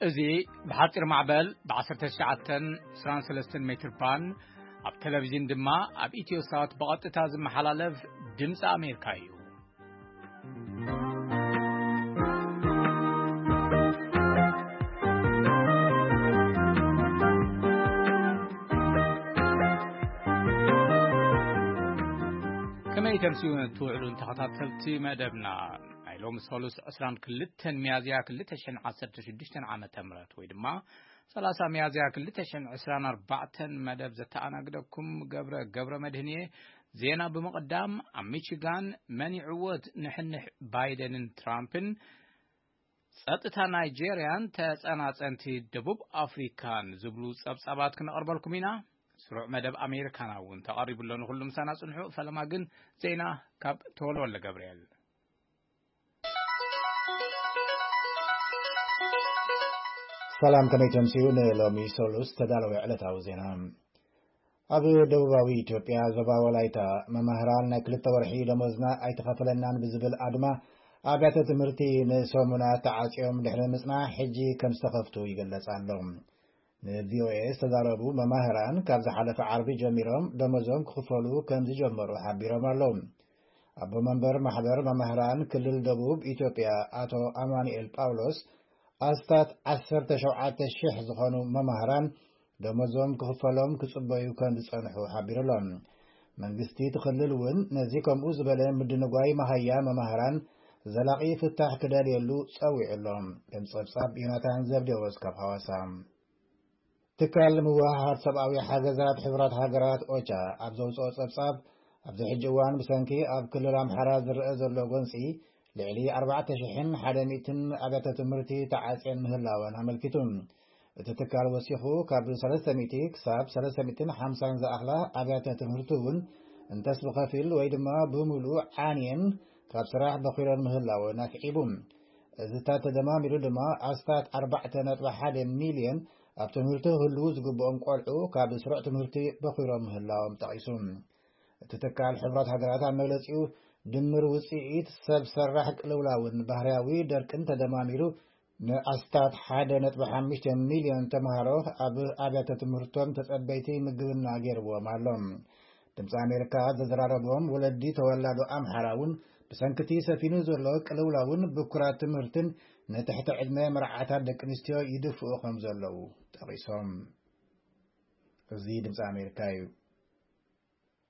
እዚ ብሓጺር ማዕበል ብ19 23 ሜትር ባንድ፣ ኣብ ቴሌቪዥን ድማ ኣብ ኢትዮ ሳት ብቐጥታ ዝመሓላለፍ ድምፂ ኣሜሪካ እዩ። ከመይ ተምስዩ ትውዕሉ ተኸታተልቲ መደብና? ናይ ሎሚ ሰሉስ 22 ሚያዝያ 2016 ዓመተ ምህረት፣ ወይ ድማ 30 ሚያዝያ 2024 መደብ ዘተኣናግደኩም ገብረ፣ ገብረ መድህን እየ። ዜና ብምቕዳም፣ ኣብ ሚቺጋን መን ይዕወት ንሕንሕ ባይደንን ትራምፕን፣ ጸጥታ ናይጄርያን ተጸናጸንቲ ደቡብ ኣፍሪካን ዝብሉ ጸብጻባት ክነቕርበልኩም ኢና። ስሩዕ መደብ ኣሜሪካና እውን ተቐሪቡ ኣሎ። ንኹሉ ምሳና ጽንሑ። ፈለማ ግን ዜና ካብ ተወልወለ ገብርኤል። ሰላም፣ ከመይ ተምስዩ ንሎሚ ሰሉስ ተዳለወ ዕለታዊ ዜና። ኣብ ደቡባዊ ኢትዮጵያ ዞባ ወላይታ መማህራን ናይ ክልተ ወርሒ ደሞዝና ኣይተኸፈለናን ብዝብል ኣድማ ኣብያተ ትምህርቲ ንሰሙናት ተዓጽዮም ድሕሪ ምጽናሕ ሕጂ ከም ዝተኸፍቱ ይግለጽ ኣሎ። ንቪኦኤ ዝተዛረቡ መማህራን ካብ ዝሓለፈ ዓርቢ ጀሚሮም ደሞዞም ክኽፈሉ ከም ዝጀመሩ ሓቢሮም ኣለዉ። ኣቦ መንበር ማሕበር መማህራን ክልል ደቡብ ኢትዮጵያ ኣቶ ኣማኑኤል ጳውሎስ ኣስታት 17,000 ዝኾኑ መማህራን ደሞዞም ክኽፈሎም ክጽበዩ ከም ዝጸንሑ ሓቢሩ ኣሎ። መንግስቲ እቲ ክልል እውን ነዚ ከምኡ ዝበለ ምድንጓይ መሃያ መማህራን ዘላቒ ፍታሕ ክደልየሉ ጸዊዑ ኣሎ። ከም ጸብጻብ ዮናታን ዘብዴዎስ ካብ ሓዋሳ። ትካል ምውሃሃድ ሰብኣዊ ሓገዛት ሕቡራት ሃገራት ኦቻ ኣብ ዘውፅኦ ጸብጻብ፣ ኣብዚ ሕጂ እዋን ብሰንኪ ኣብ ክልል ኣምሓራ ዝረአ ዘሎ ጎንፂ ልዕሊ 4,100 ኣብያተ ትምህርቲ ተዓፅየን ምህላወን ኣመልኪቱ። እቲ ትካል ወሲኹ፣ ካብ 300 ክሳብ 350 ዝኣኽላ ኣብያተ ትምህርቲ እውን እንተስ ብኸፊል ወይ ድማ ብምሉእ ዓንየን ካብ ስራሕ በኺረን ምህላወን ኣስዒቡ። እዚታት ተደማሚሩ ድማ ኣስታት 4.1 ሚልዮን ኣብ ትምህርቲ ክህልዉ ዝግብኦም ቆልዑ ካብ ስሩዕ ትምህርቲ በኺሮም ምህላዎም ጠቒሱ። እቲ ትካል ሕቡራት ሃገራት ኣብ መግለጺኡ፣ ድምር ውጽኢት ሰብ ሰራሕ ቅልውላውን ባህርያዊ ደርቅን ተደማሚሩ ንኣስታት 1.5 ሚልዮን ተምሃሮ ኣብ ኣብያተ ትምህርቶም ተጸበይቲ ምግብና ገይርዎም ኣሎ። ድምፂ ኣሜሪካ ዘዘራረቦም ወለዲ ተወላዶ ኣምሓራ እውን ብሰንክቲ ሰፊኑ ዘሎ ቅልውላውን ብኩራት ትምህርትን ንትሕቲ ዕድመ መርዓታት ደቂ ኣንስትዮ ይድፍኡ ከም ዘለዉ ጠቒሶም። እዚ ድምፂ ኣሜሪካ እዩ።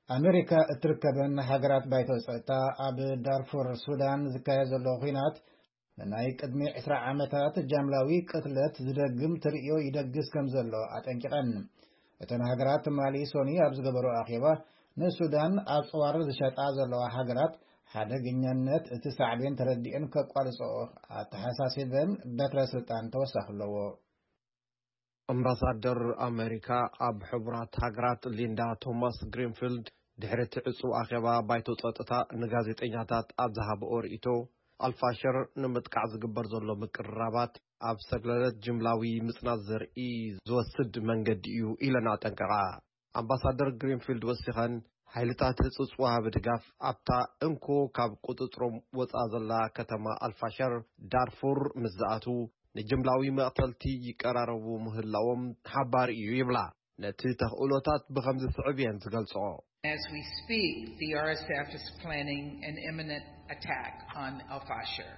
ኣሜሪካ እትርከበን ሃገራት ባይቶ ጸጥታ ኣብ ዳርፉር ሱዳን ዝካየድ ዘሎ ኹናት ንናይ ቅድሚ 20 ዓመታት ጃምላዊ ቅትለት ዝደግም ትርእዮ ይደግስ ከም ዘሎ ኣጠንቂቐን። እተን ሃገራት ትማሊ ሶኒ ኣብ ዝገበሮ ኣኼባ ንሱዳን ኣብ ጽዋር ዝሸጣ ዘለዋ ሃገራት ሓደገኛነት እቲ ሳዕቤን ተረዲኤን ከቋርጽኦ ኣተሓሳሲበን በትረ ስልጣን ተወሳኺ ኣለዎ። ኣምባሳደር ኣሜሪካ ኣብ ሕቡራት ሃገራት ሊንዳ ቶማስ ግሪንፊልድ ድሕሪ እቲ ዕጹው ኣኼባ ባይቶ ጸጥታ ንጋዜጠኛታት ኣብ ዝሃብኦ ርእይቶ፣ ኣልፋሸር ንምጥቃዕ ዝግበር ዘሎ ምቅርራባት ኣብ ሰግለለት ጅምላዊ ምጽናት ዘርኢ ዝወስድ መንገዲ እዩ ኢለን ኣጠንቀቓ። ኣምባሳደር ግሪንፊልድ ወሲኸን፣ ሓይልታት ህጹጽ ወሃቢ ድጋፍ ኣብታ እንኮ ካብ ቁጽጽሮም ወጻ ዘላ ከተማ ኣልፋሸር ዳርፉር ምስ ዝኣትዉ፣ ንጅምላዊ መቕተልቲ ይቀራረቡ ምህላዎም ሓባሪ እዩ ይብላ። ነቲ ተኽእሎታት ብኸምዚ ስዕብ እየን ዝገልጾ። As we speak, the R S F is planning an imminent attack on Al Fasher.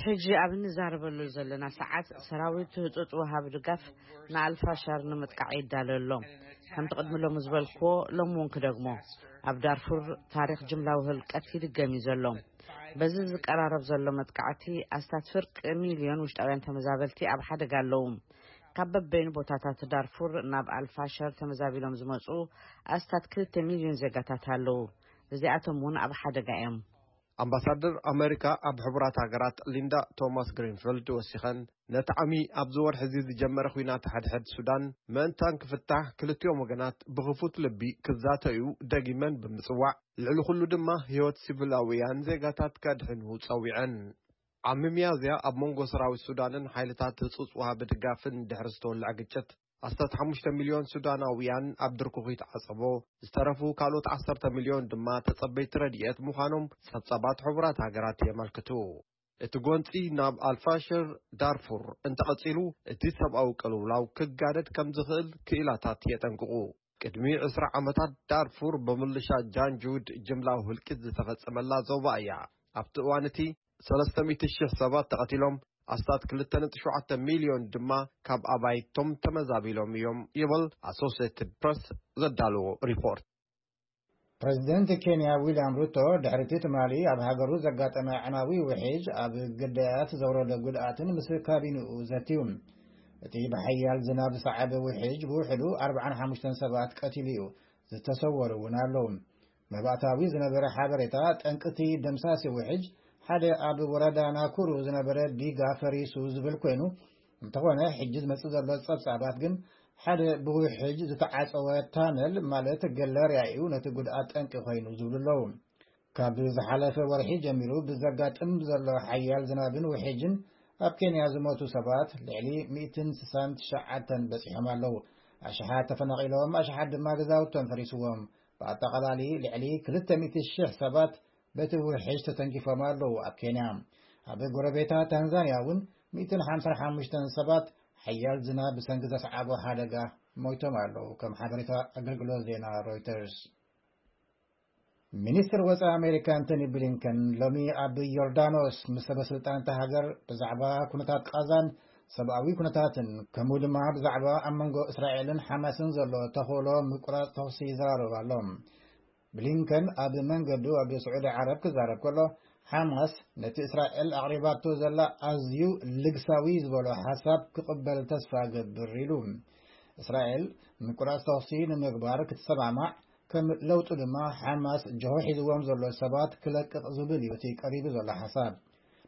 ሕጂ ኣብ እንዛረበሉ ዘለና ሰዓት፣ ሰራዊት ህጹጽ ወሃቢ ድጋፍ ንኣልፋሻር ንምጥቃዕ ይዳሎ ኣሎ። ከምቲ ቅድሚ ሎሚ ዝበልክዎ፣ ሎሚ እውን ክደግሞ፣ ኣብ ዳርፉር ታሪኽ ጅምላዊ ህልቀት ይድገም እዩ ዘሎ። በዚ ዝቀራረብ ዘሎ መጥቃዕቲ፣ ኣስታት ፍርቂ ሚልዮን ውሽጣውያን ተመዛበልቲ ኣብ ሓደጋ ኣለዉ። ካብ በበይኑ ቦታታት ዳርፉር ናብ ኣልፋሸር ተመዛቢሎም ዝመጹ ኣስታት 2 ሚልዮን ዜጋታት ኣለዉ። እዚኣቶም እውን ኣብ ሓደጋ እዮም። ኣምባሳደር ኣመሪካ ኣብ ሕቡራት ሃገራት ሊንዳ ቶማስ ግሪንፊልድ ወሲኸን፣ ነቲ ዓሚ ኣብዚ ወርሒ እዚ ዝጀመረ ኲናት ሓድሕድ ሱዳን ምእንታን ክፍታሕ ክልቲኦም ወገናት ብኽፉት ልቢ ክዛተዩ ደጊመን ብምጽዋዕ፣ ልዕሊ ኩሉ ድማ ህይወት ሲቪላውያን ዜጋታት ከድሕኑ ጸዊዐን። ዓሚ ሚያዝያ ኣብ መንጎ ሰራዊት ሱዳንን ሓይልታት ህጹጽ ወሃቢ ድጋፍን ድሕሪ ዝተወልዐ ግጭት፣ ኣስታት 5 ሚልዮን ሱዳናውያን ኣብ ድርኩኺት ዓጸቦ፣ ዝተረፉ ካልኦት 10 ሚልዮን ድማ ተጸበይቲ ረድኤት ምዃኖም ጸብጻባት ሕቡራት ሃገራት የመልክቱ። እቲ ጎንጺ ናብ ኣልፋሽር ዳርፉር እንተቐጺሉ፣ እቲ ሰብኣዊ ቅልውላው ክጋደድ ከም ዝኽእል ክኢላታት የጠንቅቑ። ቅድሚ ዕስራ ዓመታት ዳርፉር ብምልሻ ጃንጁድ ጅምላዊ ህልቂት ዝተፈጸመላ ዞባ እያ። ኣብቲ እዋን እቲ ሰለስተ ሚእቲ ሺሕ ሰባት ተቐቲሎም፣ ኣስታት ክልተ ነጥቢ ሸውዓተ ሚልዮን ድማ ካብ ኣባይቶም ተመዛቢሎም እዮም ይብል ኣሶሴትድ ፕረስ ዘዳለዎ ሪፖርት። ፕረዚደንት ኬንያ ዊልያም ሩቶ ድሕሪ እቲ ትማሊ ኣብ ሃገሩ ዘጋጠመ ኣዕናዊ ውሕጅ ኣብ ግዳያት ዘውረደ ጉድኣትን ምስ ካቢንኡ ዘትዩ። እቲ ብሓያል ዝናብ ዝሰዓበ ውሕጅ ብውሕዱ ኣርብዓን ሓሙሽተን ሰባት ቀቲሉ እዩ፣ ዝተሰወሩ እውን ኣለዉ። መባእታዊ ዝነበረ ሓበሬታ ጠንቅቲ ደምሳሲ ውሕጅ ሓደ ኣብ ወረዳ ናኩሩ ዝነበረ ዲጋ ፈሪሱ ዝብል ኮይኑ፣ እንተኾነ ሕጂ ዝመጽእ ዘሎ ጸብጻባት ግን ሓደ ብውሕጅ ዝተዓጸወ ታነል ማለት ገለርያ እዩ ነቲ ጉድኣት ጠንቂ ኮይኑ ዝብሉ ኣለዉ። ካብ ዝሓለፈ ወርሒ ጀሚሩ ብዘጋጥም ዘሎ ሓያል ዝናብን ውሕጅን ኣብ ኬንያ ዝሞቱ ሰባት ልዕሊ ሚእትን ስሳን ትሽዓተን በጺሖም ኣለዉ። ኣሽሓት ተፈናቒሎም፣ ኣሽሓት ድማ ገዛውቶም ፈሪስዎም። ብኣጠቓላሊ ልዕሊ ክልተ ሚእቲ ሺሕ ሰባት በቲ ውሕጅ ተተንኪፎም ኣለዉ። ኣብ ኬንያ፣ ኣብ ጎረቤታ ታንዛንያ እውን ሚእትን ሓምሳን ሓሙሽተን ሰባት ሓያል ዝናብ ብሰንኪ ዘስዓቦ ሓደጋ ሞይቶም ኣለዉ፣ ከም ሓበሬታ ኣገልግሎት ዜና ሮይተርስ። ሚኒስትር ወጻኢ ኣሜሪካ ኣንቶኒ ብሊንከን ሎሚ ኣብ ዮርዳኖስ ምስ ሰበ ስልጣን እታ ሃገር ብዛዕባ ኩነታት ቃዛን ሰብኣዊ ኩነታትን፣ ከምኡ ድማ ብዛዕባ ኣብ መንጎ እስራኤልን ሓማስን ዘሎ ተኽእሎ ምቁራጽ ተኹሲ ይዘራረብ ኣሎ። ብሊንከን ኣብ መንገዱ ኣብ ስዑዲ ዓረብ ክዛረብ ከሎ፣ ሓማስ ነቲ እስራኤል ኣቕሪባቶ ዘላ ኣዝዩ ልግሳዊ ዝበሎ ሓሳብ ክቕበል ተስፋ እገብር ኢሉ። እስራኤል ምቁራጽ ተኹሲ ንምግባር ክትሰማማዕ፣ ከም ለውጡ ድማ ሓማስ ጅሆ ሒዝዎም ዘሎ ሰባት ክለቅቕ ዝብል እዩ እቲ ቀሪቡ ዘሎ ሓሳብ።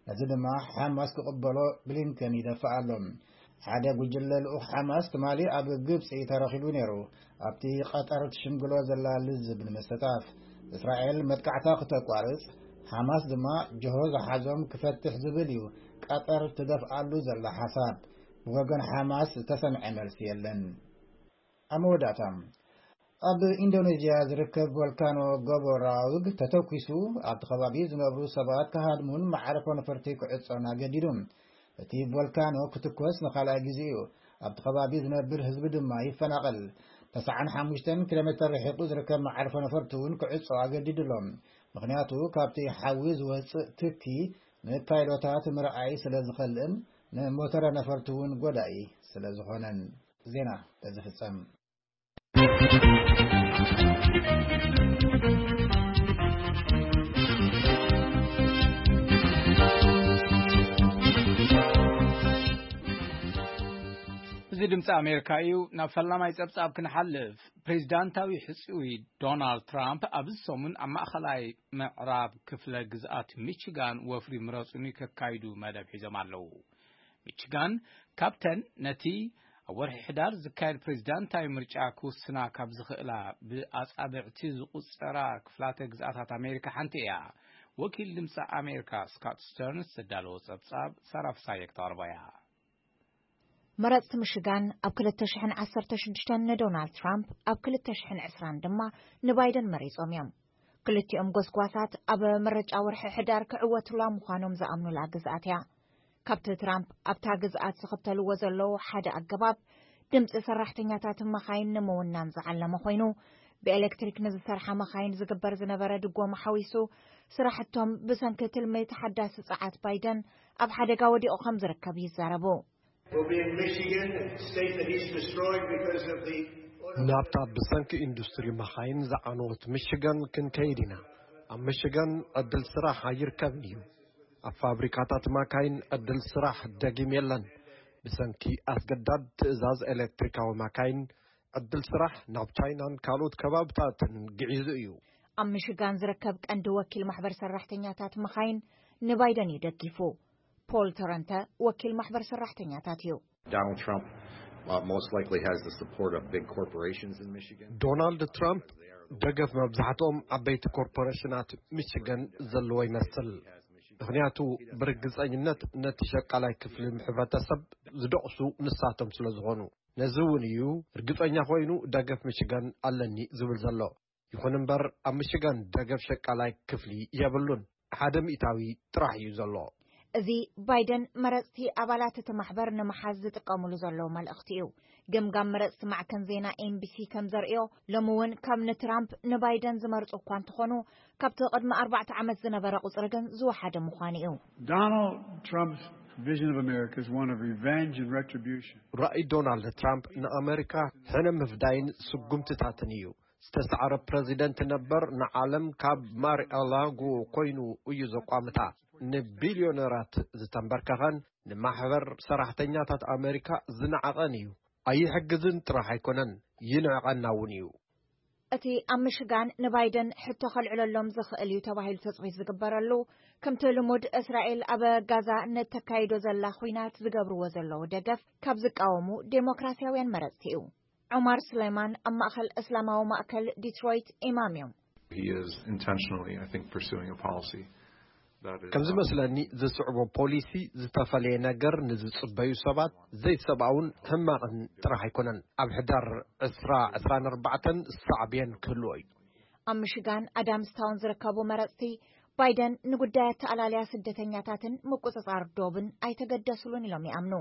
ነዚ ድማ ሓማስ ክቕበሎ ብሊንከን ይደፍእ ኣሎ። ሓደ ጉጅለ ልኡኽ ሓማስ ትማሊ ኣብ ግብጺ ተረኺቡ ነይሩ፣ ኣብቲ ቀጠር ትሽምግሎ ዘላ ልዝብ ንምስታፍ። እስራኤል መጥቃዕታ ክተቋርጽ፣ ሓማስ ድማ ጅሆ ዝሓዞም ክፈትሕ ዝብል እዩ ቀጠር ትደፍኣሉ ዘላ ሓሳብ። ብወገን ሓማስ ዝተሰምዐ መልሲ የለን። ኣብ መወዳእታ፣ ኣብ ኢንዶኔዥያ ዝርከብ ቮልካኖ ጎቦ ራውግ ተተኲሱ ኣብቲ ከባቢ ዝነብሩ ሰባት ክሃድሙን መዓርፎ ነፈርቲ ክዕጾን ኣገዲዱ። እቲ ቮልካኖ ክትኮስ ንኻልኣይ ግዜ እዩ። ኣብቲ ከባቢ ዝነብር ህዝቢ ድማ ይፈናቐል። ተስዓን ሓሙሽተን ኪሎ ሜተር ርሒቑ ዝርከብ መዓርፎ ነፈርቲ እውን ክዕጾ ኣገዲዱ ኣሎ። ምኽንያቱ ካብቲ ሓዊ ዝወጽእ ትኪ ንፓይሎታት ምርኣይ ስለ ዝኸልእን ንሞተረ ነፈርቲ እውን ጎዳኢ ስለ ዝኾነን። ዜና በዚ ፍጸም። እዚ ድምፂ ኣሜሪካ እዩ። ናብ ፈላማይ ፀብፃብ ክንሓልፍ፣ ፕሬዚዳንታዊ ሕፁይ ዶናልድ ትራምፕ ኣብዚ ሰሙን ኣብ ማእኸላይ ምዕራብ ክፍለ ግዝኣት ሚችጋን ወፍሪ ምረፁኒ ከካይዱ መደብ ሒዞም ኣለዉ። ሚችጋን ካብተን ነቲ ኣብ ወርሒ ሕዳር ዝካየድ ፕሬዚዳንታዊ ምርጫ ክውስና ካብ ዝኽእላ ብኣጻብዕቲ ዝቑጸራ ክፍላተ ግዝኣታት ኣሜሪካ ሓንቲ እያ። ወኪል ድምፂ ኣሜሪካ ስካት ስተርንስ ዘዳለዎ ጸብጻብ ሳራ ፍሳየ ክተቕርቦ እያ። መረጽቲ ምሽጋን ኣብ ክልተ ሽሕን ዓሰርተ ሽዱሽተን ንዶናልድ ትራምፕ፣ ኣብ ክልተ ሽሕን ዕስራን ድማ ንባይደን መሪጾም እዮም። ክልቲኦም ጎስጓሳት ኣብ ምርጫ ወርሒ ሕዳር ክዕወቱላ ምዃኖም ዝኣምኑላ ግዝኣት እያ። ካብቲ ትራምፕ ኣብታ ግዝኣት ዝኽተልዎ ዘለዉ ሓደ ኣገባብ፣ ድምፂ ሰራሕተኛታት መኻይን ንምውናን ዝዓለመ ኮይኑ፣ ብኤሌክትሪክ ንዝሰርሓ መኻይን ዝግበር ዝነበረ ድጎማ ሓዊሱ፣ ስራሕቶም ብሰንኪ ትልሚ ተሓዳሲ ጸዓት ባይደን ኣብ ሓደጋ ወዲቑ ከም ዝርከብ ይዛረቡ። Will be in Michigan, a state that he's destroyed because of the ናብታ ብሰንኪ ኢንዱስትሪ መኻይን ዝዓነወት ሚሽጋን ክንከይድ ኢና። ኣብ ሚሽጋን ዕድል ስራሕ ኣይርከብን እዩ። ኣብ ፋብሪካታት መካይን ዕድል ስራሕ ደጊም የለን። ብሰንኪ ኣስገዳድ ትእዛዝ ኤሌክትሪካዊ መካይን፣ ዕድል ስራሕ ናብ ቻይናን ካልኦት ከባብታትን ግዒዙ እዩ። ኣብ ሚሽጋን ዝርከብ ቀንዲ ወኪል ማሕበር ሰራሕተኛታት መኻይን ንባይደን እዩ ደጊፉ። ፖል ተረንተ ወኪል ማሕበር ሰራሕተኛታት እዩ። Donald Trump uh, most likely has the support of big corporations in Michigan. ዶናልድ ትራምፕ ደገፍ መብዛሕትኦም ዓበይቲ ኮርፖሬሽናት ሚችገን ዘለዎ ይመስል። ምኽንያቱ ብርግጸኝነት ነቲ ሸቃላይ ክፍሊ ሕብረተሰብ ዝደቕሱ ንሳቶም ስለ ዝኾኑ። ነዚ እውን እዩ ርግጸኛ ኮይኑ ደገፍ ሚችገን ኣለኒ ዝብል ዘሎ። ይኹን እምበር ኣብ ሚሽጋን ደገፍ ሸቃላይ ክፍሊ የብሉን። ሓደ ሚእታዊ ጥራሕ እዩ ዘሎ። እዚ ባይደን መረጽቲ ኣባላት እቲ ማሕበር ንምሓዝ ዝጥቀምሉ ዘለዉ መልእኽቲ እዩ። ገምጋም መረጽቲ ማዕከን ዜና ኤንቢሲ ከም ዘርእዮ፣ ሎሚ እውን ካብ ንትራምፕ ንባይደን ዝመርጹ እኳ እንተኾኑ፣ ካብቲ ቅድሚ ኣርባዕተ ዓመት ዝነበረ ቁጽሪ ግን ዝወሓደ ምዃኑ እዩ። Donald Trump's vision of America is one of revenge and retribution. ራእይ ዶናልድ ትራምፕ ንኣመሪካ ሕነ ምፍዳይን ስጉምትታትን እዩ። ዝተሳዕረ ፕረዚደንት ነበር ንዓለም ካብ ማርኣላጎ ኮይኑ እዩ ዘቋምታ። ንቢልዮነራት ዝተንበርከኸን ንማሕበር ሰራሕተኛታት ኣመሪካ ዝነዓቐን እዩ። ኣይሕግዝን ጥራሕ ኣይኮነን፣ ይንዕቐና እውን እዩ። እቲ ኣብ ምሽጋን ንባይደን ሕቶ ከልዕለሎም ዝኽእል እዩ ተባሂሉ ትጽቢት ዝግበረሉ፣ ከምቲ ልሙድ እስራኤል ኣብ ጋዛ ንተካይዶ ዘላ ኹናት ዝገብርዎ ዘለዉ ደገፍ ካብ ዝቃወሙ ዴሞክራሲያውያን መረጽቲ እዩ። ዑማር ሱሌማን ኣብ ማእከል እስላማዊ ማእከል ዲትሮይት ኢማም እዮም። He is intentionally, I think, pursuing a policy that is ከም ዝመስለኒ ዝስዕቦ ፖሊሲ ዝተፈለየ ነገር ንዝጽበዩ ሰባት ዘይሰብኣውን ሕማቕን ጥራሕ ኣይኮነን። ኣብ ሕዳር ዕስራ ዕስራን ኣርባዕተን ሳዕቤን ክህልዎ እዩ። ኣብ ምሽጋን ኣዳምስታውን ዝርከቡ መረጽቲ፣ ባይደን ንጉዳይ ኣተኣላልያ ስደተኛታትን ምቁጽጻር ዶብን ኣይተገደስሉን ኢሎም ይኣምኑ።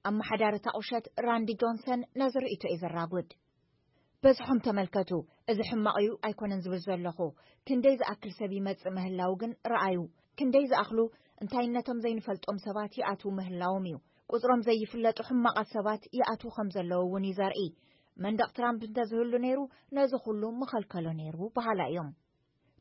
ኣመሓዳሪ እታ ቁሸት ራንዲ ጆንሰን ነዚ ርእይቶ እዩ ዘራጉድ። በዝሖም ተመልከቱ። እዚ ሕማቕ እዩ ኣይኮነን ዝብል ዘለኹ፣ ክንደይ ዝኣክል ሰብ ይመጽእ ምህላው ግን ረኣዩ። ክንደይ ዝኣኽሉ እንታይነቶም ዘይንፈልጦም ሰባት ይኣትዉ ምህላዎም እዩ። ቁጽሮም ዘይፍለጡ ሕማቓት ሰባት ይኣትዉ ከም ዘለዉ እውን እዩ ዘርኢ። መንደቕ ትራምፕ እንተዝህሉ ነይሩ፣ ነዚ ኩሉ ምኸልከሎ ነይሩ በሃላይ እዮም።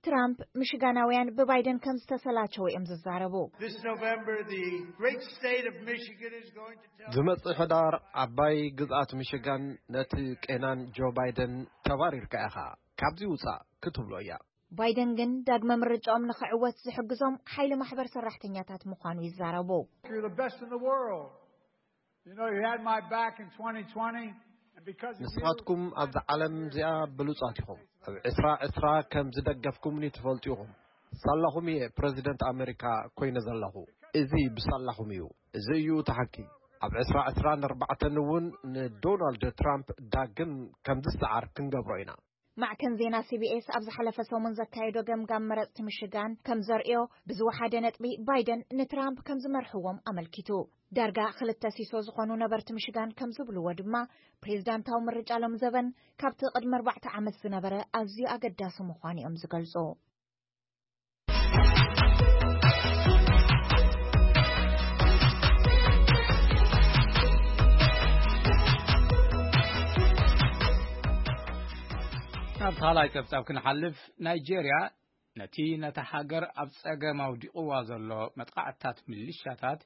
ትራምፕ፣ ምሽጋናውያን ብባይደን ከም ዝተሰላቸው እዮም ዝዛረቡ። This November, the great state of Michigan is going to tell ዝመጽእ ሕዳር ዓባይ ግዝኣት ሚሽጋን ነቲ ቄናን ጆ ባይደን ተባሪርካ ኢኻ፣ ካብዚ ውጻእ ክትብሎ እያ። ባይደን ግን ዳግመ ምርጫኦም ንኽዕወት ዝሕግዞም ሓይሊ ማሕበር ሰራሕተኛታት ምዃኑ ይዛረቡ። You're the best in the world. You know, you had my back in twenty twenty, and because of you, ንስኻትኩም ኣብዛ ዓለም እዚኣ ብሉጻት ኢኹም። ኣብ ዕስራ ዕስራ ከም ዝደገፍኩምኒ ትፈልጡ ኢኹም። ሳላኹም እየ ፕረዚደንት ኣመሪካ ኮይነ ዘለኹ። እዚ ብሳላኹም እዩ። እዚ እዩ እቲ ሓቂ። ኣብ ዕስራ ዕስራን ኣርባዕተን እውን ንዶናልድ ትራምፕ ዳግም ከም ዝሰዓር ክንገብሮ ኢና። ማዕከን ዜና ሲቢኤስ ኣብ ዝሓለፈ ሰሙን ዘካየዶ ገምጋም መረጽቲ ምሽጋን ከም ዘርእዮ፣ ብዝወሓደ ነጥቢ ባይደን ንትራምፕ ከም ዝመርሕዎም ኣመልኪቱ። ዳርጋ ክልተ ሲሶ ዝኾኑ ነበርቲ ምሽጋን ከም ዝብልዎ ድማ፣ ፕሬዝዳንታዊ ምርጫ ሎም ዘበን ካብቲ ቅድሚ ኣርባዕተ ዓመት ዝነበረ ኣዝዩ ኣገዳሲ ምዃኑ እዮም ዝገልጹ። ናብ ካልኣይ ጸብጻብ ክንሓልፍ፣ ናይጄርያ ነቲ ነታ ሃገር ኣብ ጸገም ኣውዲቕዋ ዘሎ መጥቓዕትታት ምልሻታት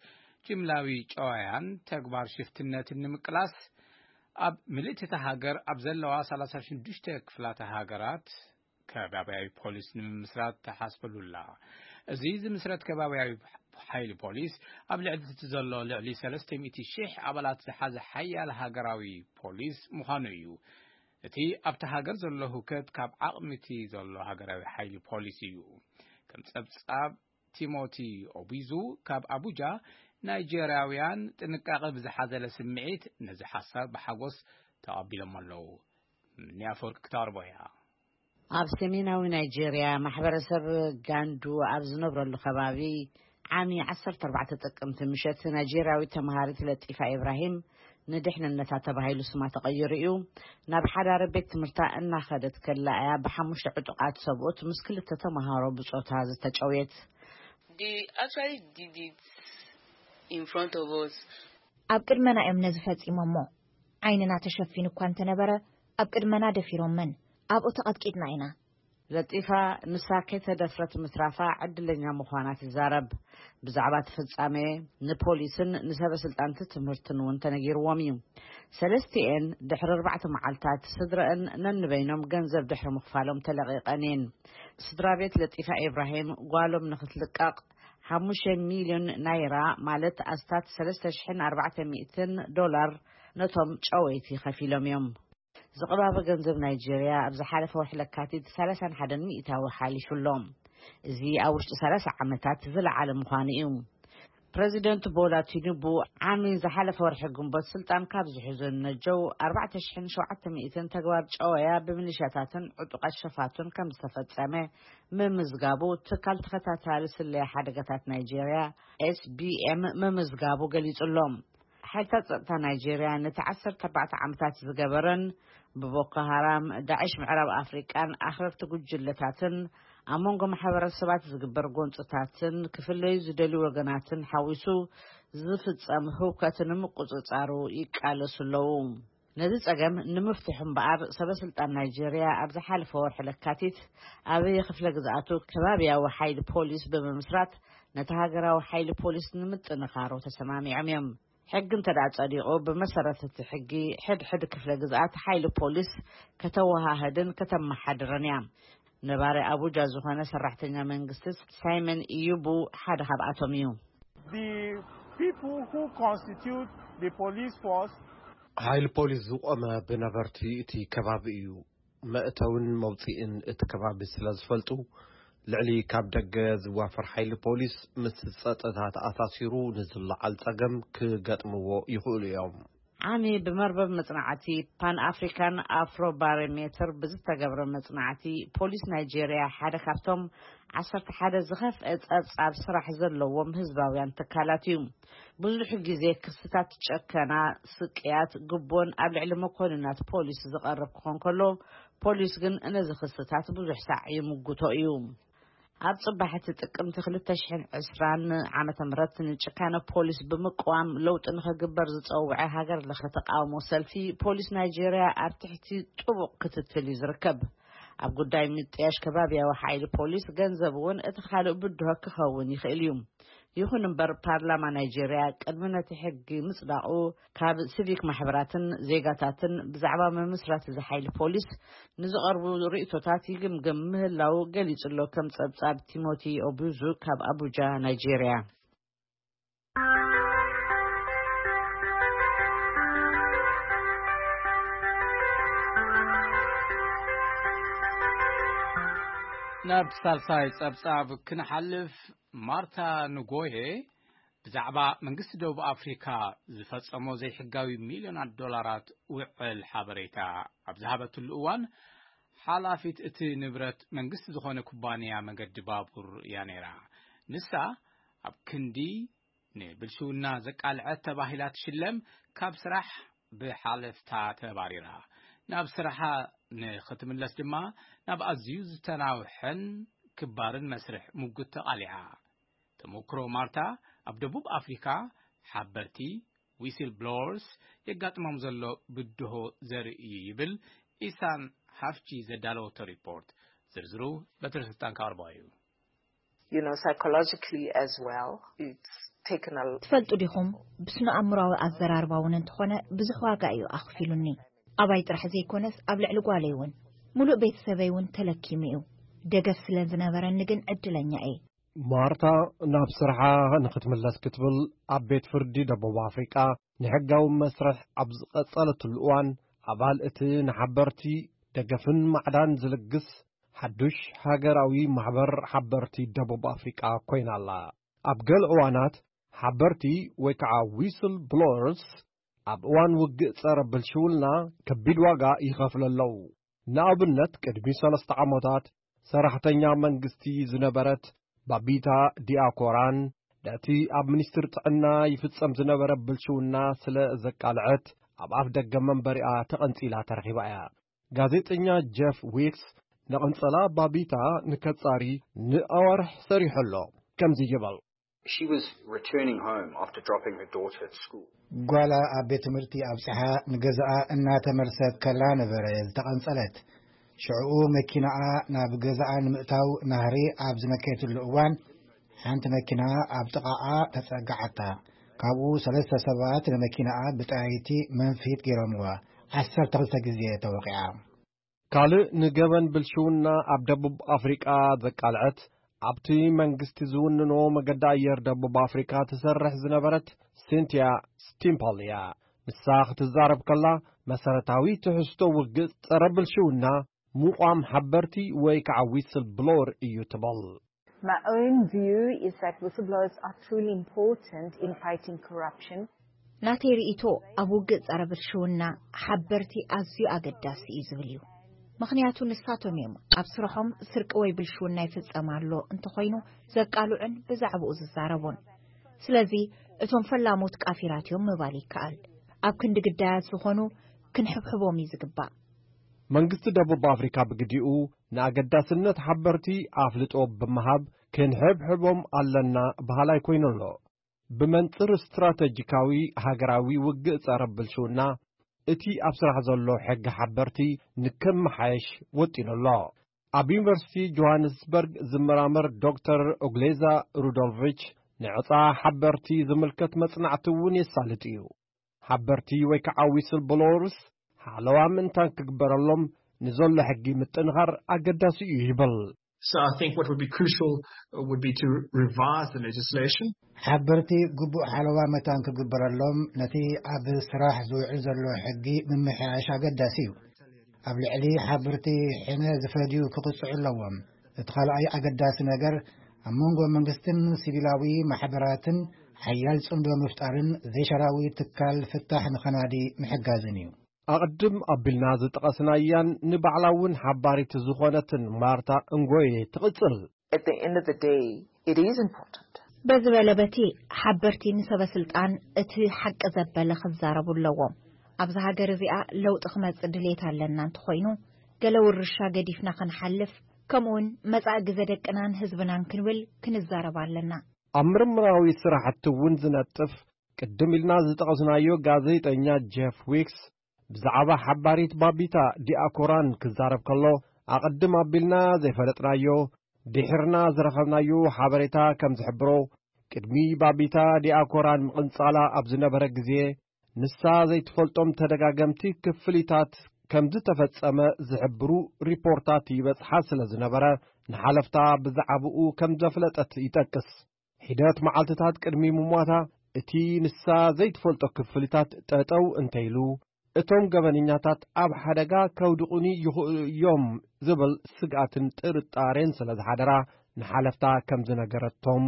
ጅምላዊ ጨዋያን ተግባር ሽፍትነትን ንምቅላስ፣ ኣብ ምልእቲ እታ ሃገር ኣብ ዘለዋ ሰላሳ ሽዱሽተ ክፍላተ ሃገራት ከባብያዊ ፖሊስ ንምምስራት ተሓስበሉላ። እዚ ዝምስረት ከባብያዊ ሓይሊ ፖሊስ፣ ኣብ ልዕሊ እቲ ዘሎ ልዕሊ ሰለስተ ሚእቲ ሽሕ ኣባላት ዝሓዘ ሓያል ሃገራዊ ፖሊስ ምዃኑ እዩ። እቲ ኣብቲ ሃገር ዘሎ ህውከት ካብ ዓቕሚ እቲ ዘሎ ሃገራዊ ሓይሊ ፖሊስ እዩ። ከም ጸብጻብ ቲሞቲ ኦቢዙ ካብ ኣቡጃ፣ ናይጄርያውያን ጥንቃቐ ብዝሓዘለ ስምዒት ነዚ ሓሳብ ብሓጎስ ተቐቢሎም ኣለዉ። ምንያፈወርቅ ክታርቦ እያ። ኣብ ሰሜናዊ ናይጄርያ፣ ማሕበረሰብ ጋንዱ ኣብ ዝነብረሉ ከባቢ፣ ዓሚ ዓሰርተ ኣርባዕተ ጥቅምቲ ምሸት፣ ናይጄርያዊት ተመሃሪት ለጢፋ ኢብራሂም፣ ንድሕንነታ ተባሂሉ ስማ ተቐይሩ እዩ፣ ናብ ሓዳረ ቤት ትምህርታ እናኸደት ከላ እያ ብሓሙሽተ ዕጡቓት ሰብኡት ምስ ክልተ ተመሃሮ ብጾታ ዝተጨውየት። They actually did it in front of us. ኣብ ቅድመና እዮም ነዚ ፈጺሞሞ። ዓይንና ተሸፊኑ እኳ እንተነበረ፣ ኣብ ቅድመና ደፊሮመን። ኣብኡ ተቐጥቂጥና ኢና። ለጢፋ ንሳ ከይተደፍረት ምትራፋ ዕድለኛ ምዃና ትዛረብ። ብዛዕባ እቲ ፍጻሜ ንፖሊስን ንሰበ ስልጣንቲ ትምህርትን እውን ተነጊርዎም እዩ። ሰለስቲኤን ድሕሪ ኣርባዕተ መዓልታት ስድረአን ነንበይኖም ገንዘብ ድሕሪ ምኽፋሎም ተለቒቐን እየን። ስድራ ቤት ለጢፋ ኢብራሂም ጓሎም ንኽትልቀቕ ሓሙሽተ ሚልዮን ናይራ፣ ማለት ኣስታት ሰለስተ ሽሕን ኣርባዕተ ሚእትን ዶላር፣ ነቶም ጨወይቲ ከፊሎም እዮም። ዝቕባበ ገንዘብ ናይጄርያ ኣብ ዝሓለፈ ወርሒ ለካቲት ሰላሳን ሓደን ሚእታዊ ሓሊፉ ኣሎ። እዚ ኣብ ውሽጢ ሰላሳ ዓመታት ዝለዓለ ምዃኑ እዩ። ፕረዚደንት ቦላ ቲኑቡ ዓሚ ዝሓለፈ ወርሒ ግንቦት ስልጣን ካብ ዝሕዙ ነጀው ኣርባዕተ ሽሕን ሸውዓተ ሚእትን ተግባር ጨወያ ብሚሊሻታትን ዕጡቓት ሸፋቱን ከም ዝተፈጸመ ምምዝጋቡ ትካል ተኸታታሊ ስለያ ሓደጋታት ናይጄርያ ኤስቢኤም ምምዝጋቡ ገሊጹ ኣሎ። ሓይልታት ጸጥታ ናይጄርያ ነቲ ዓሰርተ ኣርባዕተ ዓመታት ዝገበረን ብቦኮ ሃራም፣ ዳዕሽ ምዕራብ ኣፍሪቃን ኣኽረርቲ ጉጅለታትን ኣብ መንጎ ማሕበረሰባት ዝግበር ጎንጽታትን ክፍለዩ ዝደልዩ ወገናትን ሓዊሱ ዝፍጸም ህውከት ንምቁጽጻሩ ይቃለሱ ኣለዉ። ነዚ ጸገም ንምፍትሑ እምበኣር ሰበ ስልጣን ናይጄርያ ኣብ ዝሓለፈ ወርሒ ለካቲት ኣብ ክፍለ ግዝኣቱ ከባብያዊ ሓይሊ ፖሊስ ብምምስራት ነቲ ሃገራዊ ሓይሊ ፖሊስ ንምጥንኻሩ ተሰማሚዖም እዮም። ሕጊ እንተ ደኣ ጸዲቑ፣ ብመሰረት እቲ ሕጊ ሕድሕድ ክፍለ ግዝኣት ሓይሊ ፖሊስ ከተወሃህድን ከተመሓድርን እያ። ነባሪ ኣቡጃ ዝኾነ ሰራሕተኛ መንግስቲ ሳይመን ኢዩቡ ሓደ ካብኣቶም እዩ። The people who constitute the police force ሓይሊ ፖሊስ ዝቖመ ብነበርቲ እቲ ከባቢ እዩ። መእተውን መውፅእን እቲ ከባቢ ስለ ዝፈልጡ፣ ልዕሊ ካብ ደገ ዝዋፈር ሓይሊ ፖሊስ ምስ ጸጥታ ተኣሳሲሩ ንዝለዓል ጸገም ክገጥምዎ ይኽእሉ እዮም። ዓሚ ብመርበብ መጽናዕቲ ፓን ኣፍሪካን ኣፍሮ ባሮሜትር ብዝተገብረ መጽናዕቲ፣ ፖሊስ ናይጄርያ ሓደ ካብቶም ዓሰርተ ሓደ ዝኸፍአ ጸብጻብ ስራሕ ዘለዎም ህዝባውያን ትካላት እዩ። ብዙሕ ግዜ ክስታት ጨከና፣ ስቅያት፣ ግቦን ኣብ ልዕሊ መኮንናት ፖሊስ ዝቐርብ ክኾን ከሎ፣ ፖሊስ ግን ነዚ ክስታት ብዙሕ ሳዕ ይምጉቶ እዩ። ኣብ ጽባሕ እቲ ጥቅምቲ ክልተ ሽሕን ዕስራን ዓመተ ምህረት ንጭካነ ፖሊስ ብምቅዋም ለውጢ ንኽግበር ዝጸውዐ ሃገር ለኸ ተቃውሞ ሰልፊ፣ ፖሊስ ናይጄርያ ኣብ ትሕቲ ጥቡቕ ክትትል እዩ ዝርከብ። ኣብ ጉዳይ ምጥያሽ ከባብያዊ ሓይሊ ፖሊስ ገንዘብ እውን እቲ ካልእ ብድሆ ክኸውን ይኽእል እዩ። ይኹን እምበር፣ ፓርላማ ናይጄርያ ቅድሚ ነቲ ሕጊ ምጽዳቑ፣ ካብ ሲቪክ ማሕበራትን ዜጋታትን ብዛዕባ ምምስራት እዚ ሓይሊ ፖሊስ ንዝቐርቡ ርእይቶታት ይግምግም ምህላው ገሊጹ ኣሎ። ከም ጸብጻብ ቲሞቲ ኦቡዙ ካብ ኣቡጃ፣ ናይጄርያ። ናብ ሳልሳይ ጸብጻብ ክንሓልፍ፣ ማርታ ንጎሄ ብዛዕባ መንግስቲ ደቡብ ኣፍሪካ ዝፈጸሞ ዘይሕጋዊ ሚልዮናት ዶላራት ውዕል ሓበሬታ ኣብ ዝሃበትሉ እዋን፣ ሓላፊት እቲ ንብረት መንግስቲ ዝኾነ ኩባንያ መገዲ ባቡር እያ ነይራ። ንሳ ኣብ ክንዲ ንብልሽውና ዘቃልዐት ተባሂላ ትሽለም፣ ካብ ስራሕ ብሓለፍታ ተባሪራ። ናብ ስራሓ ንኽትምለስ ድማ ናብ ኣዝዩ ዝተናውሐን ክባርን መስርሕ ሙግት ተቓሊዓ። ተመክሮ ማርታ ኣብ ደቡብ ኣፍሪካ ሓበርቲ፣ ዊስል ብሎወርስ፣ የጋጥሞም ዘሎ ብድሆ ዘርኢ እዩ ይብል ኢሳን ሃፍቺ ዘዳለወቶ ሪፖርት። ዝርዝሩ በትረ ስልጣን ካርባ እዩ። You know, psychologically as well, it's taken a ትፈልጡ ዲኹም? ብስነ ኣእምሮዊ ኣዘራርባ እውን እንተኾነ ብዙሕ ዋጋ እዩ ኣኽፊሉኒ። ኣባይ ጥራሕ ዘይኮነስ ኣብ ልዕሊ ጓለይ እውን፣ ሙሉእ ቤተሰበይ እውን ተለኪሙ እዩ። ደገፍ ስለ ዝነበረኒ ግን ዕድለኛ እየ። ማርታ ናብ ስርሓ ንኽትምለስ ክትብል ኣብ ቤት ፍርዲ ደቡብ ኣፍሪቃ ንሕጋዊ መስርሕ ኣብ ዝቐጸለትሉ እዋን፣ ኣባል እቲ ንሓበርቲ ደገፍን ማዕዳን ዝልግስ ሓዱሽ ሃገራዊ ማሕበር ሓበርቲ ደቡብ ኣፍሪቃ ኮይና ኣላ። ኣብ ገለ እዋናት ሓበርቲ ወይ ከዓ ዊስል ብሎወርስ ኣብ እዋን ውግእ ጸረ ብልሽውና ከቢድ ዋጋ ይኸፍሉ ኣለዉ። ንኣብነት፣ ቅድሚ ሰለስተ ዓመታት ሰራሕተኛ መንግስቲ ዝነበረት ባቢታ ዲያኮራን ነቲ ኣብ ሚኒስትሪ ጥዕና ይፍጸም ዝነበረ ብልሽውና ስለ ዘቃልዐት፣ ኣብ ኣፍ ደገ መንበሪኣ ተቐንጺላ ተረኺባ እያ። ጋዜጠኛ ጀፍ ዊክስ ንቐንጸላ ባቢታ ንከጻሪ ንኣዋርሕ ሰሪሑ ኣሎ። ከምዚ ይብል። She was returning home after dropping her daughter at school. ጓላ ኣብ ቤት ትምህርቲ ኣብጽሓ ንገዛኣ እናተመልሰት ከላ ነበረ ዝተቐንጸለት። ሽዕኡ መኪናኣ ናብ ገዛኣ ንምእታው ናህሪ ኣብ ዝነከየትሉ እዋን፣ ሓንቲ መኪና ኣብ ጥቓኣ ተጸጋዓታ። ካብኡ ሰለስተ ሰባት ንመኪናኣ ብጠያይቲ መንፊት ገይሮምዋ። ዓሰርተ ክልተ ግዜ ተወቒዓ። ካልእ ንገበን ብልሽውና ኣብ ደቡብ ኣፍሪቃ ዘቃልዐት፣ ኣብቲ መንግስቲ ዝውንኖ መገዲ ኣየር ደቡብ ኣፍሪቃ ትሰርሕ ዝነበረት ሲንቲያ ስቲምፓል እያ። ንሳ ክትዛረብ ከላ፣ መሰረታዊ ትሕዝቶ ውግእ ጸረ ብልሽውና ምቋም ሓበርቲ ወይ ከዓ ዊስል ብሎወር እዩ ትበል። My own view is that whistleblowers are truly important in fighting corruption. ናተይ ርእይቶ፣ ኣብ ውግእ ጸረ ብልሽውና ሓበርቲ ኣዝዩ ኣገዳሲ እዩ ዝብል እዩ። ምኽንያቱ ንሳቶም እዮም ኣብ ስርሖም ስርቂ ወይ ብልሽውና ይፍጸም ኣሎ እንተኾይኑ ዘቃልዑን ብዛዕባኡ ዝዛረቡን። ስለዚ እቶም ፈላሞት ቃፊራት እዮም ምባል ይከኣል። ኣብ ክንዲ ግዳያት ዝኾኑ ክንሕብሕቦም እዩ ዝግባእ። መንግስቲ ደቡብ ኣፍሪካ ብግዲኡ ንኣገዳስነት ሓበርቲ ኣፍልጦ ብምሃብ ክንሕብሕቦም ኣለና በሃላይ ኮይኑ ኣሎ። ብመንጽር ስትራተጂካዊ ሃገራዊ ውግእ ጸረ ብልሽውና እቲ ኣብ ስራሕ ዘሎ ሕጊ ሓበርቲ ንክመሓየሽ ወጢኑ ኣሎ። ኣብ ዩኒቨርሲቲ ጆሃንስበርግ ዝመራመር ዶክተር ኦግሌዛ ሩዶልቪች ንዕጻ ሓበርቲ ዝምልከት መጽናዕቲ እውን የሳልጥ እዩ። ሓበርቲ ወይ ከዓ ዊስል ብሎወርስ ሓለዋ ምእንታን ክግበረሎም ንዘሎ ሕጊ ምጥንኻር ኣገዳሲ እዩ ይብል። So I think what would be crucial uh, would be to revise the legislation. ሓበርቲ ግቡእ ሓለዋ መታን ክግበረሎም ነቲ ኣብ ስራሕ ዝውዕል ዘሎ ሕጊ ምምሕያሽ ኣገዳሲ እዩ። ኣብ ልዕሊ ሓበርቲ ሕነ ዝፈድዩ ክቕፅዑ ኣለዎም። እቲ ካልኣይ ኣገዳሲ ነገር ኣብ መንጎ መንግስትን ሲቪላዊ ማሕበራትን ሓያል ጽምዶ ምፍጣርን ዘይሻራዊ ትካል ፍታሕ ንኸናዲ ምሕጋዝን እዩ። ኣቕድም ኣቢልና ዝጠቐስናያን ንባዕላ እውን ሓባሪት ዝኾነትን ማርታ እንጎየ ትቕጽል። At the end of the day, it is important. በዚ በለ በቲ ሓበርቲ ንሰበ ስልጣን እቲ ሓቂ ዘበለ ክዛረቡ ኣለዎም። ኣብዛ ሃገር እዚኣ ለውጢ ክመጽእ ድሌት ኣለና እንተኾይኑ ገለ ውርሻ ገዲፍና ክንሓልፍ ከምኡውን መጻኢ ግዘ ደቅናን ህዝብናን ክንብል ክንዛረብ ኣለና። ኣብ ምርምራዊ ስራሕቲ እውን ዝነጥፍ ቅድም ኢልና ዝጠቐስናዮ ጋዜጠኛ ጀፍ ዊክስ ብዛዕባ ሓባሪት ባቢታ ዲኣኮራን ክዛረብ ከሎ ኣቐድም ኣቢልና ዘይፈለጥናዮ ድሒርና ዝረኸብናዮ ሓበሬታ ከም ዝሕብሮ ቅድሚ ባቢታ ዲኣኮራን ምቕንጻላ ኣብ ዝነበረ ግዜ ንሳ ዘይትፈልጦም ተደጋገምቲ ክፍሊታት ከም ዝተፈጸመ ዝሕብሩ ሪፖርታት ይበጽሓ ስለ ዝነበረ ንሓለፍታ ብዛዕባኡ ከም ዘፍለጠት ይጠቅስ። ሒደት መዓልትታት ቅድሚ ምሟታ እቲ ንሳ ዘይትፈልጦ ክፍሊታት ጠጠው እንተይሉ እቶም ገበነኛታት ኣብ ሓደጋ ከውድቑኒ ይኽእሉ እዮም ዝብል ስግኣትን ጥርጣሬን ስለ ዝሓደራ ንሓለፍታ ከም ዝነገረቶም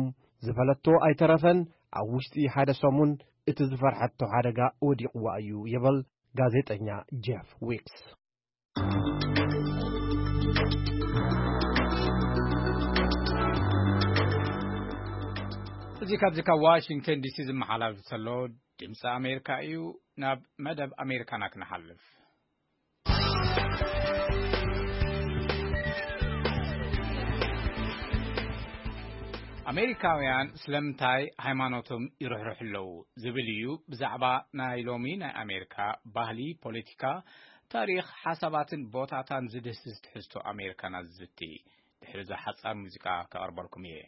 ዝፈለቶ ኣይተረፈን። ኣብ ውሽጢ ሓደ ሰሙን እቲ ዝፈርሐቶ ሓደጋ ወዲቕዋ እዩ ይብል ጋዜጠኛ ጀፍ ዊክስ። እዚ ካብዚ ካብ ዋሽንግተን ዲሲ ዝመሓላለፍ ዘሎ ድምፂ ኣሜሪካ እዩ። ናብ መደብ ኣሜሪካና ክንሓልፍ። ኣሜሪካውያን ስለምንታይ ሃይማኖቶም ይርሕርሑ ኣለዉ ዝብል እዩ ብዛዕባ ናይ ሎሚ ናይ ኣሜሪካ ባህሊ፣ ፖለቲካ፣ ታሪኽ፣ ሓሳባትን ቦታታን ዝድህስስ ትሕዝቶ ኣሜሪካና ዝዝቲ። ድሕሪ እዛ ሓጻር ሙዚቃ ከቕርበልኩም እየ።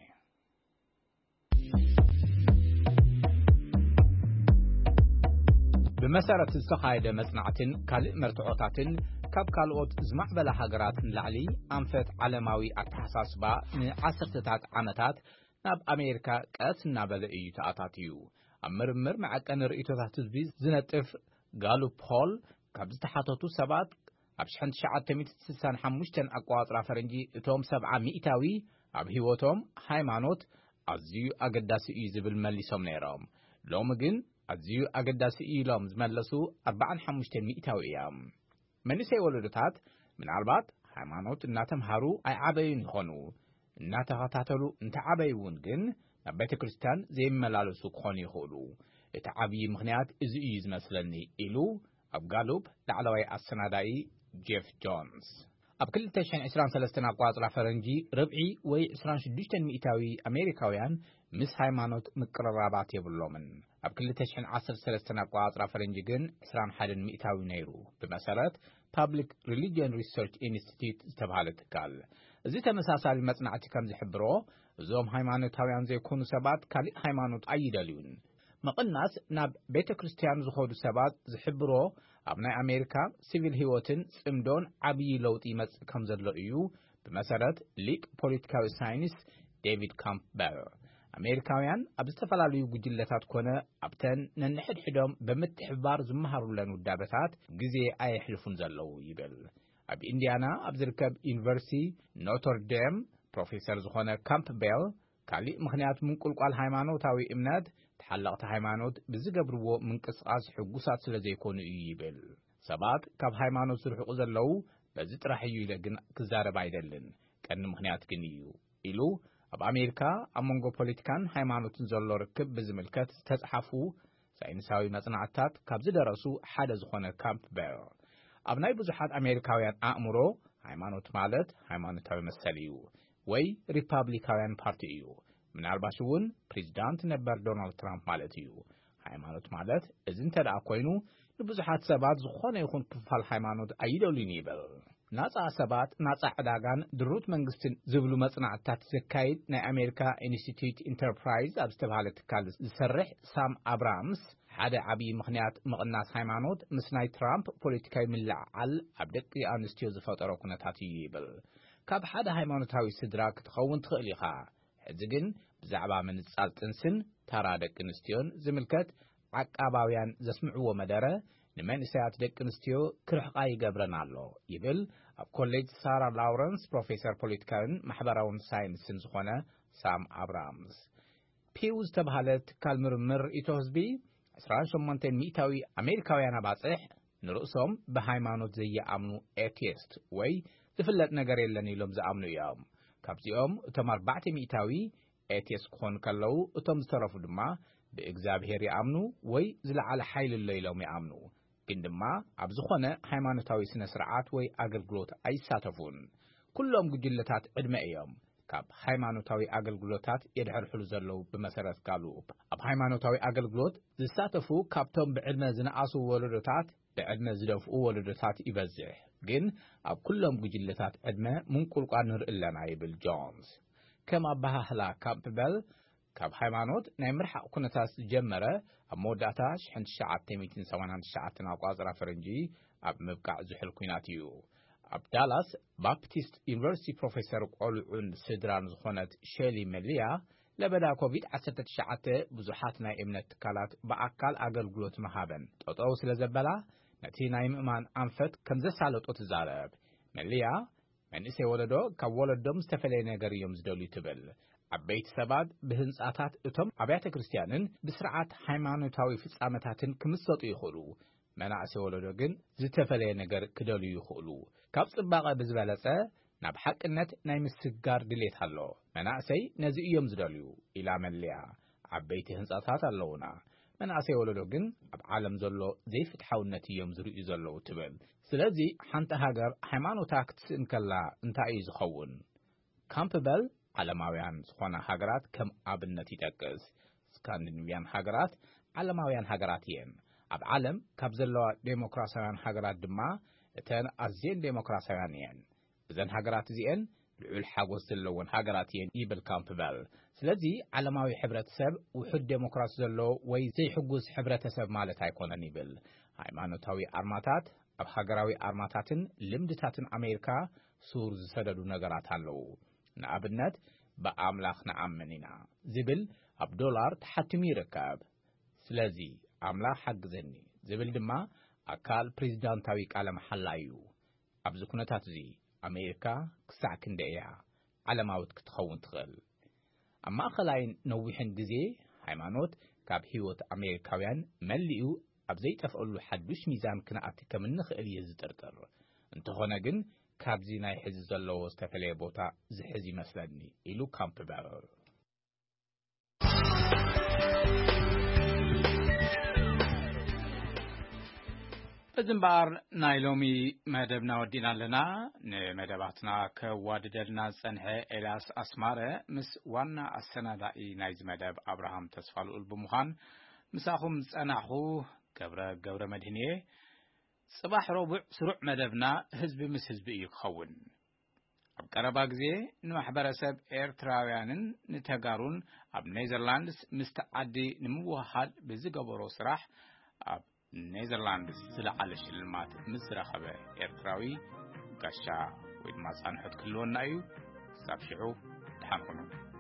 ብመሰረት ዝተኻየደ መጽናዕትን ካልእ መርትዖታትን ካብ ካልኦት ዝማዕበላ ሃገራት ንላዕሊ ኣንፈት ዓለማዊ ኣተሓሳስባ ንዓሰርተታት ዓመታት ናብ ኣሜሪካ ቀስ እናበለ እዩ ተኣታትዩ። ኣብ ምርምር መዐቀኒ ርእይቶታት ህዝቢ ዝነጥፍ ጋሉፕ ፖል ካብ ዝተሓተቱ ሰባት ኣብ ሽሕን ትሽዓተ ሚእትን ስሳን ሓሙሽተን ኣቋጽራ ፈረንጂ እቶም ሰብዓ ሚእታዊ ኣብ ህይወቶም ሃይማኖት ኣዝዩ ኣገዳሲ እዩ ዝብል መሊሶም ነይሮም። ሎሚ ግን ኣዝዩ ኣገዳሲ እዩ ኢሎም ዝመለሱ ኣርባዓን ሓሙሽተን ሚእታዊ እዮም። መንእሰይ ወለዶታት ምናልባት ሃይማኖት እናተምሃሩ ኣይዓበዩን ይኾኑ፣ እናተኸታተሉ እንተዓበዩ እውን ግን ናብ ቤተ ክርስቲያን ዘይመላለሱ ክኾኑ ይኽእሉ። እቲ ዓብዪ ምኽንያት እዚ እዩ ዝመስለኒ ኢሉ ኣብ ጋሉፕ ላዕለዋይ ኣሰናዳኢ ጄፍ ጆንስ። ኣብ ክልተ ሽሕን ዕስራን ሰለስተን ኣቋጽራ ፈረንጂ ርብዒ ወይ ዕስራን ሽዱሽተን ሚእታዊ ኣሜሪካውያን ምስ ሃይማኖት ምቅርራባት የብሎምን። ኣብ ክልተ ሽሕን ዓሰርተ ሰለስተን ኣቋጽራ ፈረንጂ ግን ዕስራን ሓደን ሚእታዊ ነይሩ። ብመሰረት ፓብሊክ ሪሊጅን ሪሰርች ኢንስቲትዩት ዝተባህለ ትካል። እዚ ተመሳሳሊ መጽናዕቲ ከም ዝሕብሮ እዞም ሃይማኖታውያን ዘይኮኑ ሰባት ካልእ ሃይማኖት ኣይደልዩን። ምቕናስ ናብ ቤተ ክርስቲያን ዝኸዱ ሰባት ዝሕብሮ ኣብ ናይ ኣሜሪካ ሲቪል ህይወትን ጽምዶን ዓብዪ ለውጢ ይመጽእ ከም ዘሎ እዩ ብመሰረት ሊቅ ፖለቲካዊ ሳይንስ ዴቪድ ካምፕበል። ኣሜሪካውያን ኣብ ዝተፈላለዩ ጉጅለታት ኮነ ኣብተን ነንሕድሕዶም ብምትሕብባር ዝመሃሩለን ውዳበታት ግዜ ኣየሕልፉን ዘለዉ ይብል። ኣብ ኢንዲያና ኣብ ዝርከብ ዩኒቨርሲቲ ኖተር ዴም ፕሮፌሰር ዝኾነ ካምፕ ቤል፣ ካሊእ ምኽንያት ምንቁልቋል ሃይማኖታዊ እምነት፣ ተሓለቕቲ ሃይማኖት ብዝገብርዎ ምንቅስቓስ ሕጉሳት ስለ ዘይኮኑ እዩ ይብል። ሰባት ካብ ሃይማኖት ዝርሕቁ ዘለዉ በዚ ጥራሕ እዩ ኢለ ግን ክዛረብ ኣይደልን። ቀንዲ ምኽንያት ግን እዩ ኢሉ፣ ኣብ ኣሜሪካ ኣብ መንጎ ፖለቲካን ሃይማኖትን ዘሎ ርክብ ብዝምልከት ዝተጽሓፉ ሳይንሳዊ መጽናዕትታት ካብ ዝደረሱ ሓደ ዝኾነ ካምፕ ቤል፣ ኣብ ናይ ብዙሓት ኣሜሪካውያን ኣእምሮ፣ ሃይማኖት ማለት ሃይማኖታዊ መሰል እዩ፣ ወይ ሪፓብሊካውያን ፓርቲ እዩ። ምናልባሽ እውን ፕሬዚዳንት ነበር ዶናልድ ትራምፕ ማለት እዩ። ሃይማኖት ማለት እዚ እንተ ደኣ ኮይኑ፣ ንብዙሓት ሰባት ዝኾነ ይኹን ክፋል ሃይማኖት ኣይደልዩን ይብል። ናጻ ሰባት፣ ናጻ ዕዳጋን ድሩት መንግስትን ዝብሉ መጽናዕትታት ዘካይድ ናይ ኣሜሪካ ኢንስቲትዩት ኢንተርፕራይዝ ኣብ ዝተባህለ ትካል ዝሰርሕ ሳም ኣብራምስ፣ ሓደ ዓብዪ ምኽንያት ምቕናስ ሃይማኖት ምስ ናይ ትራምፕ ፖለቲካዊ ምልዕዓል ኣብ ደቂ ኣንስትዮ ዝፈጠሮ ኩነታት እዩ ይብል። ካብ ሓደ ሃይማኖታዊ ስድራ ክትኸውን ትኽእል ኢኻ። ሕዚ ግን ብዛዕባ ምንጻል ጥንስን ታራ ደቂ ኣንስትዮን ዝምልከት ዓቃባውያን ዘስምዕዎ መደረ ንመንእሰያት ደቂ ኣንስትዮ ክርሕቓ ይገብረን ኣሎ ይብል ኣብ ኮሌጅ ሳራ ላውረንስ ፕሮፌሰር ፖለቲካዊን ማሕበራውን ሳይንስን ዝኾነ ሳም ኣብራምስ። ፒው ዝተባህለ ትካል ምርምር ርእይቶ ህዝቢ፣ ዕስራን ሸሞንተን ሚእታዊ ኣሜሪካውያን ኣባጽሕ ንርእሶም ብሃይማኖት ዘይኣምኑ ኤቲስት ወይ ዝፍለጥ ነገር የለን ኢሎም ዝኣምኑ እዮም። ካብዚኦም እቶም ኣርባዕተ ሚእታዊ ኤቲስት ክኾኑ ከለዉ፣ እቶም ዝተረፉ ድማ ብእግዚኣብሔር ይኣምኑ ወይ ዝለዓለ ሓይሊ ኣሎ ኢሎም ይኣምኑ። ግን ድማ ኣብ ዝኾነ ሃይማኖታዊ ስነ ስርዓት ወይ ኣገልግሎት ኣይሳተፉን። ኩሎም ጉጅለታት ዕድመ እዮም ካብ ሃይማኖታዊ ኣገልግሎታት የድሕርሕሉ ዘለዉ። ብመሰረት ጋሉፕ፣ ኣብ ሃይማኖታዊ ኣገልግሎት ዝሳተፉ ካብቶም ብዕድመ ዝነኣሱ ወለዶታት ብዕድመ ዝደፍኡ ወለዶታት ይበዝሕ። ግን ኣብ ኩሎም ጉጅለታት ዕድመ ምንቁልቋል ንርኢ ኣለና ይብል ጆንስ። ከም ኣበሃህላ ካምፕበል፣ ካብ ሃይማኖት ናይ ምርሓቕ ኩነታት ዝጀመረ ኣብ መወዳእታ ሽሕን ትሽዓተ ሚእትን ሰማንያን ትሽዓተን ኣቋጽራ ፈረንጂ ኣብ ምብቃዕ ዝሑል ኲናት እዩ። ኣብ ዳላስ ባፕቲስት ዩኒቨርሲቲ ፕሮፌሰር ቆልዑን ስድራን ዝኾነት ሸሊ መሊያ፣ ለበዳ ኮቪድ ዓሰርተ ትሽዓተ ብዙሓት ናይ እምነት ትካላት ብኣካል ኣገልግሎት ምሃበን ጠጠው ስለ ዘበላ፣ ነቲ ናይ ምእማን ኣንፈት ከም ዘሳለጦ ትዛረብ። መሊያ፣ መንእሰይ ወለዶ ካብ ወለዶም ዝተፈለየ ነገር እዮም ዝደልዩ ትብል። ዓበይቲ ሰባት ብህንጻታት እቶም ኣብያተ ክርስቲያንን ብስርዓት ሃይማኖታዊ ፍጻመታትን ክምሰጡ ይኽእሉ። መናእሰይ ወለዶ ግን ዝተፈለየ ነገር ክደልዩ ይኽእሉ። ካብ ጽባቐ ብዝበለጸ ናብ ሓቅነት ናይ ምስግጋር ድሌት ኣሎ። መናእሰይ ነዚ እዮም ዝደልዩ ኢላ መለያ። ዓበይቲ ህንጻታት ኣለዉና። መናእሰይ ወለዶ ግን ኣብ ዓለም ዘሎ ዘይፍትሓውነት እዮም ዝርእዩ ዘለዉ ትብል። ስለዚ ሓንቲ ሃገር ሃይማኖታ ክትስእን ከላ እንታይ እዩ ዝኸውን? ካምፕበል ዓለማውያን ዝኾና ሃገራት ከም ኣብነት ይጠቅስ። ስካንዲኒቭያን ሃገራት ዓለማውያን ሃገራት እየን። ኣብ ዓለም ካብ ዘለዋ ዴሞክራሲያውያን ሃገራት ድማ እተን ኣዝየን ዴሞክራሲያውያን እየን። እዘን ሃገራት እዚኤን ልዑል ሓጎስ ዘለወን ሃገራት እየን ይብል ካምፕበል። ስለዚ ዓለማዊ ሕብረተሰብ ውሑድ ዴሞክራሲ ዘለዎ ወይ ዘይሕጉስ ሕብረተሰብ ማለት ኣይኮነን ይብል። ሃይማኖታዊ ኣርማታት ኣብ ሃገራዊ ኣርማታትን ልምድታትን ኣሜሪካ ሱር ዝሰደዱ ነገራት ኣለዉ። ንኣብነት፣ ብኣምላኽ ንኣምን ኢና ዝብል ኣብ ዶላር ተሓቲሙ ይርከብ። ስለዚ ኣምላኽ ሓግዘኒ ዝብል ድማ ኣካል ፕሬዚዳንታዊ ቃለ መሓላ እዩ። ኣብዚ ኩነታት እዚ ኣሜሪካ ክሳዕ ክንደይ እያ ዓለማዊት ክትኸውን ትኽእል? ኣብ ማእኸላይን ነዊሕን ግዜ ሃይማኖት ካብ ህይወት ኣሜሪካውያን መሊኡ ኣብ ዘይጠፍኣሉ ሓዱሽ ሚዛን ክንኣቲ ከም እንኽእል እየ ዝጥርጥር። እንተኾነ ግን ካብዚ ናይ ሕዚ ዘለዎ ዝተፈለየ ቦታ ዝሕዝ ይመስለኒ ኢሉ ካምፕበል። በዚ እምበኣር ናይ ሎሚ መደብና ወዲእና ኣለና። ንመደባትና ከዋድደልና ዝጸንሐ ኤልያስ ኣስማረ ምስ ዋና ኣሰናዳኢ ናይዚ መደብ ኣብርሃም ተስፋልኡል ብምዃን ምሳኹም ዝጸናሕኹ ገብረ ገብረ መድህን እየ። ጽባሕ ረቡዕ ስሩዕ መደብና ህዝቢ ምስ ህዝቢ እዩ ክኸውን። ኣብ ቀረባ ግዜ ንማሕበረሰብ ኤርትራውያንን ንተጋሩን ኣብ ኔዘርላንድስ ምስቲ ዓዲ ንምውህሃድ ብዝገበሮ ስራሕ ኣብ ኔዘርላንድስ ዝለዓለ ሽልማት ምስ ዝረኸበ ኤርትራዊ ጋሻ ወይ ድማ ጻንሖት ክህልወና እዩ። ክሳብ ሽዑ ደሓን ኩኑ።